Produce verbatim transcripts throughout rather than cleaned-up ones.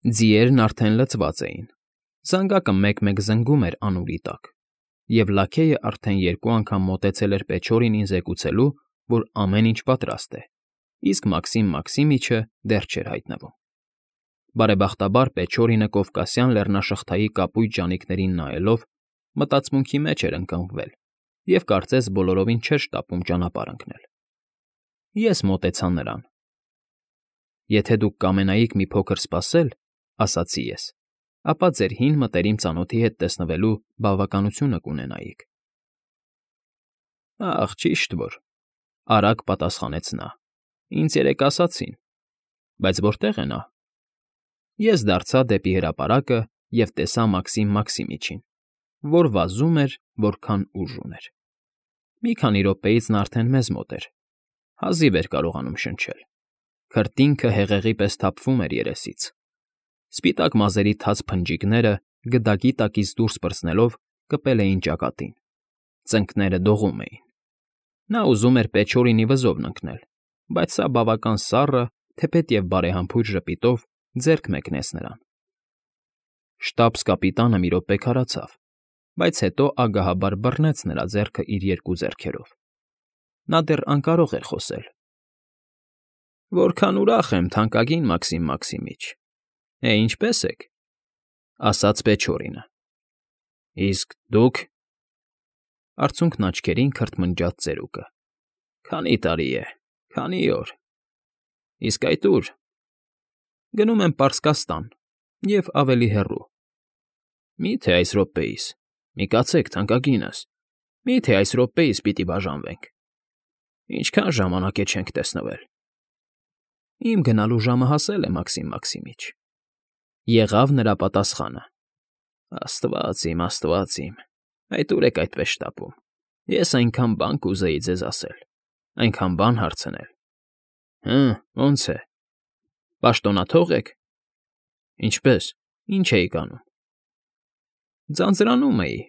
Ձիերն արդեն լցված էին, զանգակը մեկ֊մեկ զնգում էր անուռի տակ, և լաքեյը արդեն երկու անգամ մոտեցել էր Պեչորինին զեկուցելու, որ ամեն ինչ պատրաստ է, իսկ Մաքսիմ Մաքսիմիչը դեռ չէր հայտնվում։ Բարեբախտաբար Պեչորինը կովկասյան լեռնաշղթայի կապույտ ճանիքներին նայելով մտածմունքի մեջ էր ընկղմվել և կարծես բոլորովին չէր շտապում ճանապարհ ընկնել։ Ես մոտեցա նրան։ «Եթե դուք կամենայիք մի փոքր սպասել, ֊ ասացի ես, ֊ ապա ձեր հին մտերիմ ծանոթի հետ տեսնվելու բավականությունը կունենայիք»։ ֊ Ախ, ճիշտ որ,֊ արագ պատասխանեց նա,֊ ինձ երեկ ասացին, բայց որտե՞ղ է նա։ Ես դարձա դեպի հրապարակը և տեսա Մաքսիմ Մաքսիմիչին, որ վազում էր, որքան ուժ ուներ։ Մի քանի րոպեից նա արդեն մեզ մոտ էր, հազիվ էր կարողանում շնչել, քրտինքը հեղեղի պես թափվում էր երեսից, սպիտակ մազերի թաց փնջիկները գդակի տակից դուրս պրծնելով կպել էին ճակատին, ծնկները դողում էին։ Նա ուզում էր Պեչորինի վզովն ընկնել, բայց սա բավական սառը, թեպետև բարեհամբույր ժպիտով ձեռք մեկնեց նրան։ Շտաբս֊կապիտանը մի րոպե քարացավ, բայց հետո ագահաբար բռնեց նրա ձեռքը իր երկու ձեռքերով։ Նա դեռ անկարող էր խոսել։ ֊ Որքան ուրախ եմ, թանկագին Մաքսիմ Մաքսիմիչ, է, ինչպե՞ս եք,֊ ասաց Պեչորինը։ ֊ Իսկ դուք,֊ արցունքն աչքերին քրթմնջաց ծերուկը,֊ քանի՞ տարի է, քանի՞ օր։ Իսկ այդ ո՞ւր։ ֊ Գնում եմ Պարսկաստան և ավելի հեռու։ ֊ Մի՞թե այս րոպեիս, մի կացեք, թանկագինս, մի՞թե այս րոպեիս պիտի բաժանվենք։ Ինչքան ժամանակ է չենք տեսնվել։ ֊ Իմ գնալու ժամը հասել է, Մաքսիմ Մաքսիմիչ,֊ եղավ նրա պատասխանը։ ֊ Աստված իմ, աստված իմ, այդ ո՞ւր եք այդպես շտապում։ Ես այնքան բան կուզեի ձեզ ասել, այնքան բան հարցնել։ ֊ Հը, ո՞նց է, պաշտոնաթո՞ղ եք։ ֊ Ինչպե՞ս, ի՞նչ էիք անում։ ֊ Ձանձրանում էի,֊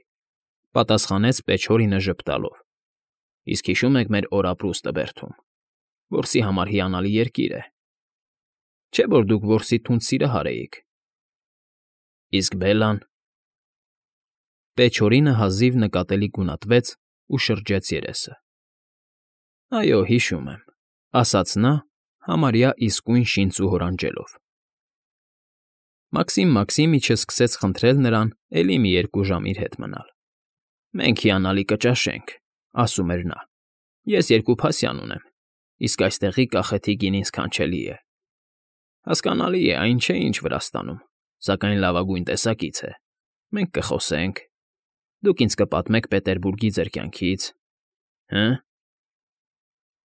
պատասխանեց Պեչորինը ժպտալով։ ֊ Իսկ հիշո՞ւմ եք մեր օրապրուստը Բերթում, որսի համար հիանալի երկիր է։ Չէ՞ որ դուք որսի թունդ սիրահար էիք։ ֊ Իսկ Բելլան…֊ Պեչորինը հազիվ նկատելի գունատվեց ու շրջեց երեսը։ ֊ Այո, հիշում եմ,֊ ասաց նա, համարյա իսկույն շինծու հորանջելով։ Մաքսիմ Մաքսիմիչը սկսեց խնդրել նրան էլի մի երկու ժամ իր հետ մնալ։ «Մենք հիանալի կճաշենք,֊ ասում էր նա,֊ ես երկու փասյան ունեմ, իսկ այստեղի կախեթի գինին սքանչելի է։ Հասկանալի է, այն չէ, ինչ Վրաստանում, սակայն լավագույն տեսակից է։ Մենք կխոսենք, դուք ինձ կպատմեք Պետերբուրգի ձեր կյանքից, հը՞։ ֊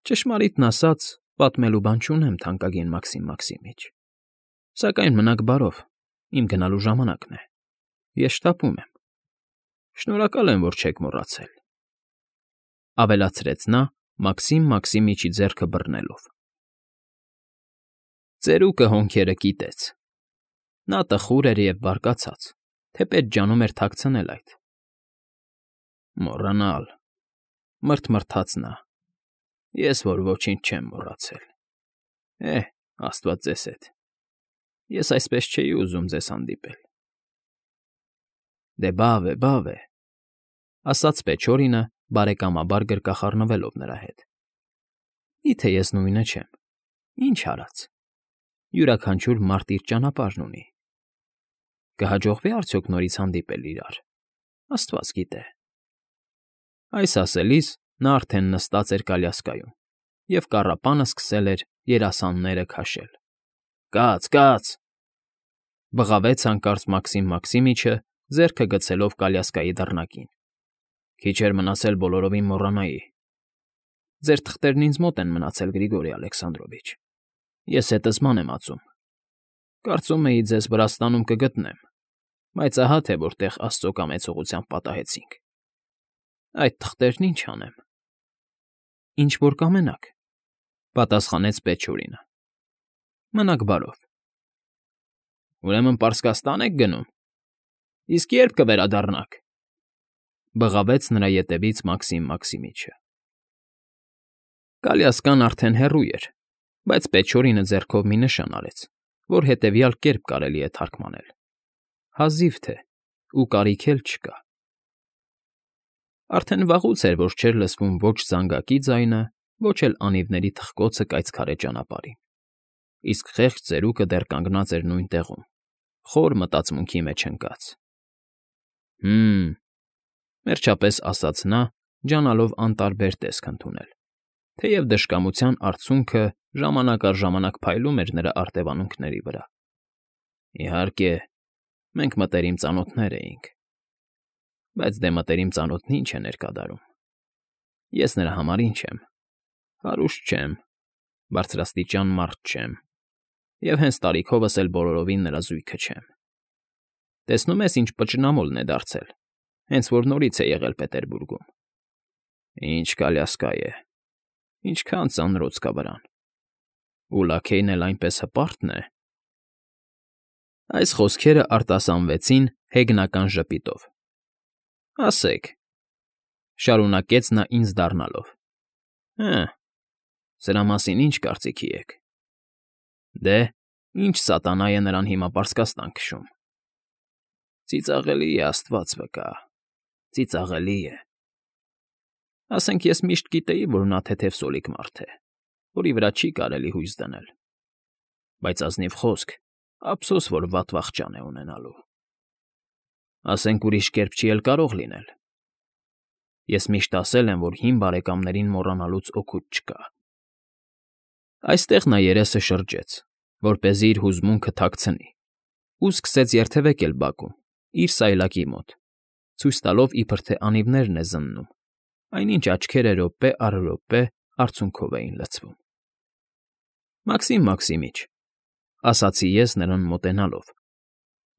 Ճշմարիտն ասած, պատմելու բան չունեմ, թանկագին Մաքսիմ Մաքսիմիչ, սակայն մնաք բարով, իմ գնալու ժամանակն է, ես շտապում եմ։ Շնորհակալ եմ, որ չեք մոռացել,֊ ավելացրեց նա Մաքսիմ Մաքսիմիչի ձեռքը բռնելով։ Ծերուկը հոնքերը կիտեց։ Նա տխուր էր և բարկացած, թեպետ ջանում էր թաքցնել այդ։ «Մոռանալ,֊ մռթմռթաց նա,֊ ես որ ոչինչ չեմ մոռացել։ Է՜հ, աստված ձեզ հետ, ես այսպես չէի ուզում ձեզ հանդիպել»։ ֊ Դե բավ է, բավ է,֊ ասաց Պեչորինը բարեկամաբար գրկախառնվելով նրա հետ։ ֊ Մի՞թե ես նույնը չեմ, ինչ արած։ Յուրաքանչյուր մարդ իր ճանապարհն ունի։ Կհաջողվի՞ արդյոք նորից հանդիպել իրար, աստված գիտե։ Այս ասելիս նա արդեն նստած էր կալյասկայում, և կառապանը սկսել էր երասանները քաշել։ «Կաց, կաց,֊ բղավեց հանկարծ Մաքսիմ Մաքսիմիչը, ձեռքը գցելով կալյասկայի դռնակին,֊ քիչ էր մնացել բոլորովին մոռանայի։ Ձեր թղթերն ինձ մոտ են մնացել, Գրիգորի Ալեքսանդրովիչ, ես հետս ման եմ ածում։ Կարծում էի ձեզ Վրաստանում կգտնեմ, բայց ահա թե որտեղ աստծո կամեցողությամբ պատահեցինք։ Այդ թղթերն ինչ անեմ։ ֊ Ինչ որ կամենաք,֊ պատասխանեց Պեչորինը։ ֊ Մնաք բարով։ ֊ Ուրեմն Պարսկաստա՞ն եք գնում։ Իսկ ե՞րբ կվերադառնաք,֊ բղավեց նրա ետևից Մաքսիմ Մաքսիմիչը։ Կալյասկան արդեն հեռու էր, բայց Պեչորինը ձեռքով մի նշան արեց, որ հետևյալ կերպ կարելի է թարգմանել. հազիվ թե, ու կարիք էլ չկա։ Արդեն վաղուց էր, որ չէր լսվում ոչ զանգակի ձայնը, ոչ էլ անիվների թխկոցը կայծքարե ճանապարհին, իսկ խեղճ ծերուկը դեռ կանգնած էր նույն տեղում, խոր մտածմունքի մեջ ընկած։ «Հը՜մ,» վերջապես ասաց նա, ջանալով անտարբեր տեսք ընդունել, թեև դժկամության արդյունքը ժամանակ առ ժամանակ փայլում էր նրա արտևանունքների վրա։ «Իհարկե, մենք մտերիմ ծանոթներ էինք, բայց դե մտերիմ ծանոթն ինչ է ներկադարում։ Ես նրա համար ինչ եմ, հարուստ չեմ, բարձրաստիճան մարդ չեմ, և հենց տարիքովս էլ բոլորովին նրա զույգը չեմ։ Տեսնում ես, ինչ պճնամոլն է դարձել, հենց որ նորից է եղել Պետերբուրգում։ Ինչ կալյասկա է, ինչքան ծանրոց կա վրան, ու լաքեյն էլ այնպես հպարտ է»։ Այս խոսքերը արտասանվեցին հեգնական ժպիտով։ «Ասեք,֊ շարունակեց նա ինձ դառնալով,֊ հը, սրա մասին ինչ կարծիքի եք։ Դե, ինչ սատանա է նրան հիմա պարսկաստան քշում։ Ծիծաղելի է, աստված վկա, ծիծաղելի է։ Ասենք ես միշտ գիտեի, որ նա թեթև սոլիկ մարդ է, որի վրա չի կարելի հույս դնել, բայց ազնիվ խոսք, ափսոս, որ վատ վախճան է ունենալու։ Ասենք ուրիշ կերպ չի էլ կարող լինել։ Ես միշտ ասել եմ, որ հին բարեկամներին մոռանալուց օգուտ չկա»։ Այստեղ նա երեսը շրջեց, որպեսզի իր հուզմունքը թաքցնի, ու սկսեց երթևեկել բակում, իր սայլակի մոտ, ցույց տալով, իբր թե անիվներն է զննում, այնինչ աչքերը րոպե առ րոպե արցունքով էին լցվում։ «Մաքսիմ Մաքսիմիչ,֊ ասացի ես նրան մոտենալով,֊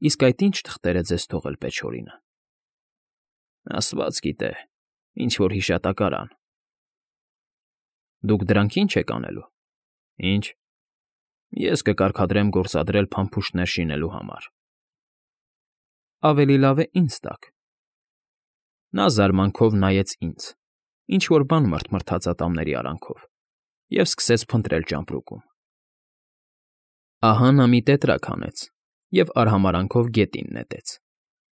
իսկ այդ ի՞նչ թղթեր է ձեզ թողել Պեչորինը»։ «Աստված գիտե, ինչ֊որ հիշատակարան»։ «Դուք դրանք ի՞նչ եք անելու»։ «Ի՞նչ։ Ես կկարգադրեմ գործադրել փամփուշտներ շինելու համար»։ «Ավելի լավ է ինձ տաք»։ Նա զարմանքով նայեց ինձ, ինչ֊որ բան մռթմռթաց ատամների արանքով, և սկսեց փնտրել ճամպրուկում։ Ահա նա մի տետրակ հանեց և արհամարհանքով գետին նետեց,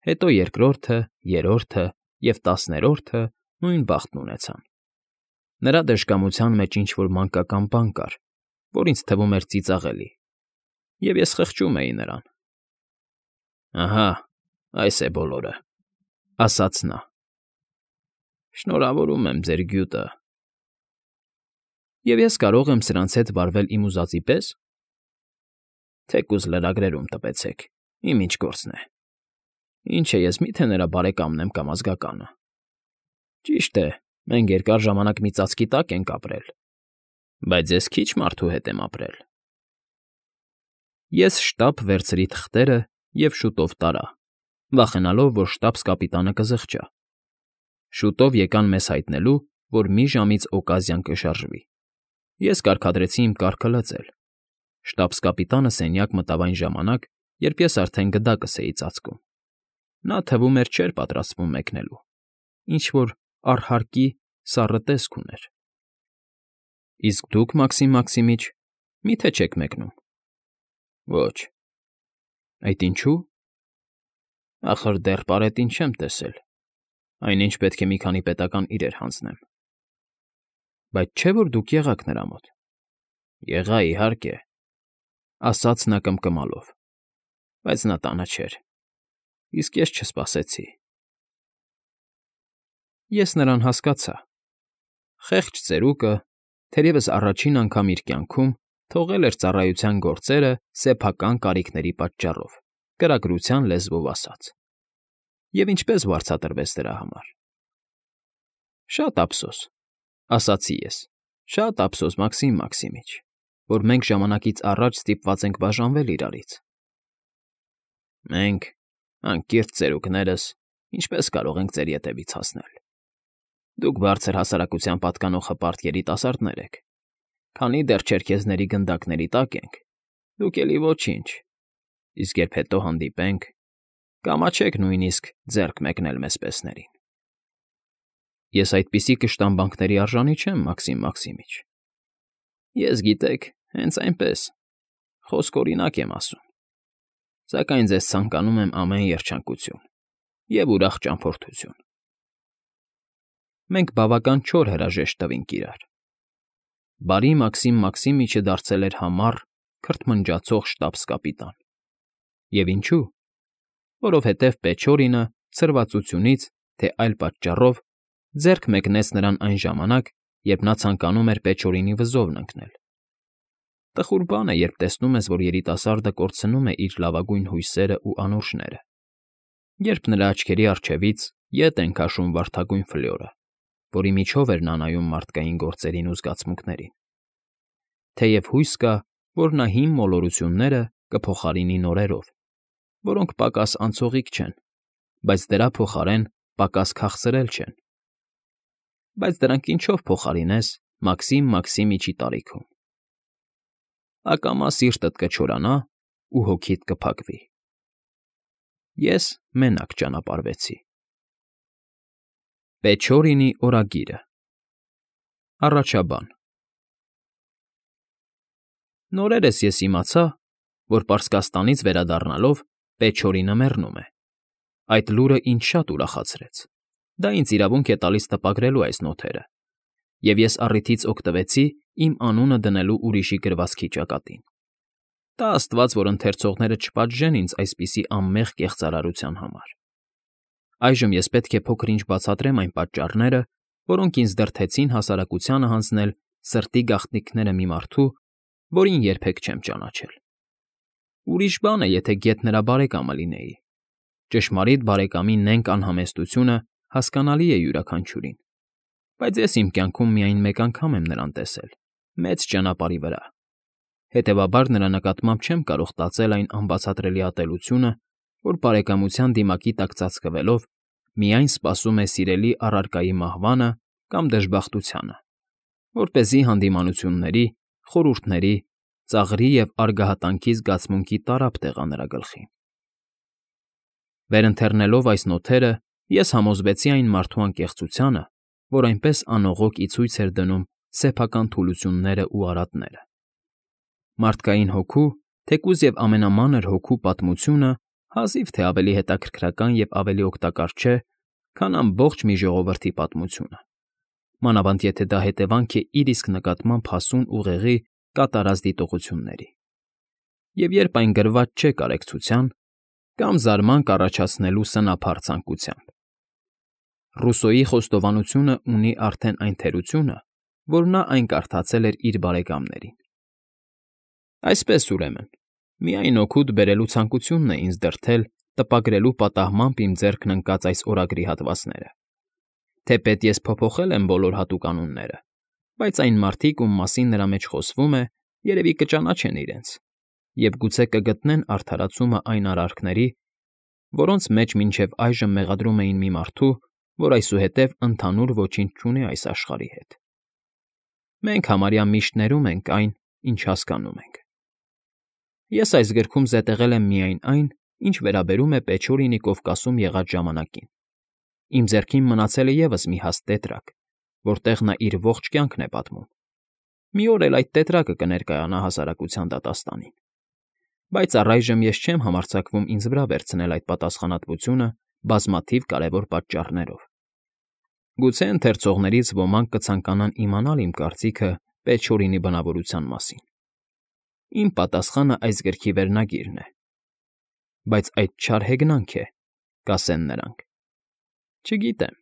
հետո երկրորդը, երրորդը և տասներորդը նույն բախտն ունեցան։ Նրա դժկամության մեջ ինչ֊որ մանկական բան կար, որ ինձ թվում էր ծիծաղելի, և ես խղճում էի նրան։ «Ահա, այս է բոլորը», ասաց նա։ «Շնորհավորում եմ ձեր գյուտը»։ «Եվ ես կարո՞ղ եմ սրանց հետ վարվել իմ ուզածի պես»։ «Թեկուզ լրագրերում տպեցեք, իմ ինչ գործն է։ Ինչ է, ես մի՞թե նրա բարեկամն եմ կամ ազգականը։ Ճիշտ է, մենք երկար ժամանակ մի ծածկի տակ ենք ապրել, բայց ես քիչ մարդու հետ եմ ապրել»։ Ես շտապ վերցրի թղթերը և շուտով տարա, վախենալով, որ շտաբս֊կապիտանը կզղջա։ Շուտով եկան մեզ հայտնելու, որ մի ժամից օկազիան կշարժվի։ Ես կարգադրեցի իմ կառքը լծել։ Շտաբս֊կապիտանը սենյակ մտավ այն ժամանակ, երբ ես արդեն գդակս էի ծածկում։ Նա, թվում էր, չէր պատրաստվում մեկնելու, ինչ֊որ առհարկի սառը տեսք ուներ։ «Իսկ դուք, Մաքսիմ Մաքսիմիչ, մի՞թե չեք մեկնում»։ «Ոչ»։ «Այդ ինչո՞ւ»։ «Ախր դեռ պարետին չեմ տեսել, այնինչ պետք է մի քանի պետական իրեր հանձնեմ»։ «Բայց չէ՞ որ դուք եղաք նրա մոտ»։ «Եղա, իհարկե», ասաց նա կմկմալով, բայց նա տանը չէր, իսկ ես չսպասեցի։ Ես նրան հասկացա։ Խեղճ ծերուկը, թերևս առաջին անգամ իր կյանքում, թողել էր ծառայության գործերը սեփական կարիքների պատճառով, կրակրության լեզվով ասած։ Եվ ինչպե՞ս վարձատրվեց դրա համար։ «Շատ ափսոս», ասացի ես, «շատ ափսոս, Մաքսիմ Մաքսիմիչ, որ մենք ժամանակից առաջ ստիպված ենք բաժանվել իրարից»։ «Մենք, անկիրճ ծերուկներս, ինչպե՞ս կարող ենք ձեր ետևից հասնել։ Դուք բարձր հասարակության պատկանող հպարտ երիտասարդներ եք, քանի դեռ չերքեզների գնդակների տակ ենք, դուք էլի ոչինչ, իսկ երբ հետո հանդիպենք, կամաչեք նույնիսկ ձեռք մեկնել մեզ պեսներին»։ «Ես այդպիսի կշտամբանքների արժանի չեմ, Մաքսիմ Մաքսիմիչ»։ «Ես, գիտեք, հենց այնպես, Խոսք օրինակ եմ ասում, սակայն ձեզ ցանկանում եմ ամեն երջանկություն և ուրախ ճամփորդություն։ Մենք բավական չոր հրաժեշտ տվինք իրար։ Բարի Մաքսիմ Մաքսիմիչը դարձել էր համառ, քրթմնջացող շտաբս֊կապիտան։ Եվ ինչո՞ւ։ Որովհետև Պեչորինը ցրվածությունից, թե այլ պատճառով ձեռք մեկնեց նրան այն ժամանակ, երբ նա ցանկանում էր Պեչորինի վզովն ընկնել։ Տխուր բան է, երբ տեսնում ես, որ երիտասարդը կորցնում է իր լավագույն հույսերն ու անուրջները, երբ նրա աչքերի առջևից ետ են քաշում վարդագույն ֆլյորը, որի միջով էր նա նայում մարդկային գործերին ու զգացմունքներին։ Թեև հույս կա, որ նա հին մոլորությունները կփոխարինի նորերով, որոնք պակաս անցողիկ չեն, բայց դրա փոխարեն պակաս քաղցրել չեն։ Բայց դրանք ինչո՞վ փոխարինես Մաքսիմ Մաքսիմիչի տարիքում։ Ակամա սիրտդ կչորանա ու հոգիդ կփակվի։ Ես մենակ ճանապարհվեցի։ Պեչորինի օրագիրը։ Առաջաբան։ Նորերս ես իմացա, որ Պարսկաստանից վերադառնալով Պեչորինը մեռնում է։ Այդ լուրը ինձ շատ ուրախացրեց։ Դա ինձ իրավունք է տալիս տպագրելու այս նոթերը, և ես առիթից օգտվեցի իմ անունը դնելու ուրիշի գրվածքի ճակատին։ Տա աստված, որ ընթերցողները չպատժեն ինձ այսպիսի անմեղ կեղծարարության համար։ Այժմ ես պետք է փոքր֊ինչ բացատրեմ այն պատճառները, որոնք ինձ դրդեցին հասարակությանը հանձնել սրտի գաղտնիքները մի մարդու, որին երբեք չեմ ճանաչել։ Ուրիշ բան է, եթե գեթ նրա բարեկամը լինեի։ Ճշմարիտ բարեկամի նենգ անհամեստությունը հասկանալի է յուրաքանչյուրին, բայց ես իմ կյանքում միայն մեկ անգամ եմ նրան տեսել, մեծ ճանապարհի վրա։ Հետևաբար նրա նկատմամբ չեմ կարող տածել այն անբացատրելի ատելությունը, որ բարեկամության դիմակի տակ ծածկվելով միայն սպասում է սիրելի առարկայի մահվանը կամ դժբախտությանը, որպեսզի հանդիմանությունների, խորհուրդների, ծաղրի և արգահատանքի զգացմունքի տարափ տեղա նրա գլխին։ Վերընթերնելով այս նոթերը, ես համոզվեցի այն մարդու անկեղծությանը, որ այնպես անողոք ի ցույց էր դնում սեփական թուլություններն ու արատները։ Մարդկային հոգու, թեկուզ և ամենամանր հոգու պատմությունը հազիվ թե ավելի հետաքրքրական և ավելի օգտակար չէ, քան ամբողջ մի ժողովրդի պատմությունը, մանավանդ եթե դա հետևանք է իր իսկ նկատմամբ հասուն ուղեղի կատարած դիտողությունների, և երբ այն գրված չէ կարեկցության կամ զարմանք առաջացնելու սնափառ ցանկությամբ։ Ռուսոյի խոստովանությունը ունի արդեն այն թերությունը, որ նա այն կարդացել էր իր բարեկամներին։ Այսպես, ուրեմն, միայն օգուտ բերելու ցանկությունն է ինձ դրդել տպագրելու պատահմամբ իմ ձեռքն ընկած այս օրագրի հատվածները։ Թեպետ ես փոփոխել եմ բոլոր հատուկանոնները, բայց այն մարդիկ, ում մասին նրա մեջ խոսվում է, երևի կճանաչեն իրենց, և գուցե կգտնեն արդարացումը այն արարքների, որոնց մեջ մինչև այժմ մեղադրում էին մի մարդու, որ այսուհետև ընդհանուր ոչինչ չունի այս աշխարհի հետ։ Մենք համարյա միշտ ներում ենք այն, ինչ հասկանում ենք։ Ես այս գրքում զետեղել եմ միայն այն, ինչ վերաբերում է Պեչորինի Կովկասում եղած ժամանակին։ Իմ ձեռքին մնացել է ևս մի հաստ տետրակ, որտեղ նա իր ողջ կյանքն է պատմում։ Մի օր էլ այդ տետրակը կներկայանա հասարակության դատաստանին։ Բայց առայժմ ես չեմ համարձակվում ինձ վրա վերցնել այդ պատասխանատվությունը բազմաթիվ կարևոր պատճառներով։ Գուցե ընթերցողներից ոմանք կցանկանան իմանալ իմ կարծիքը Պեչորինի բնավորության մասին։ Իմ պատասխանը այս գրքի վերնագիրն է։ Բայց այդ չար հեգնանք է, կասեն նրանք։ Չգիտեմ։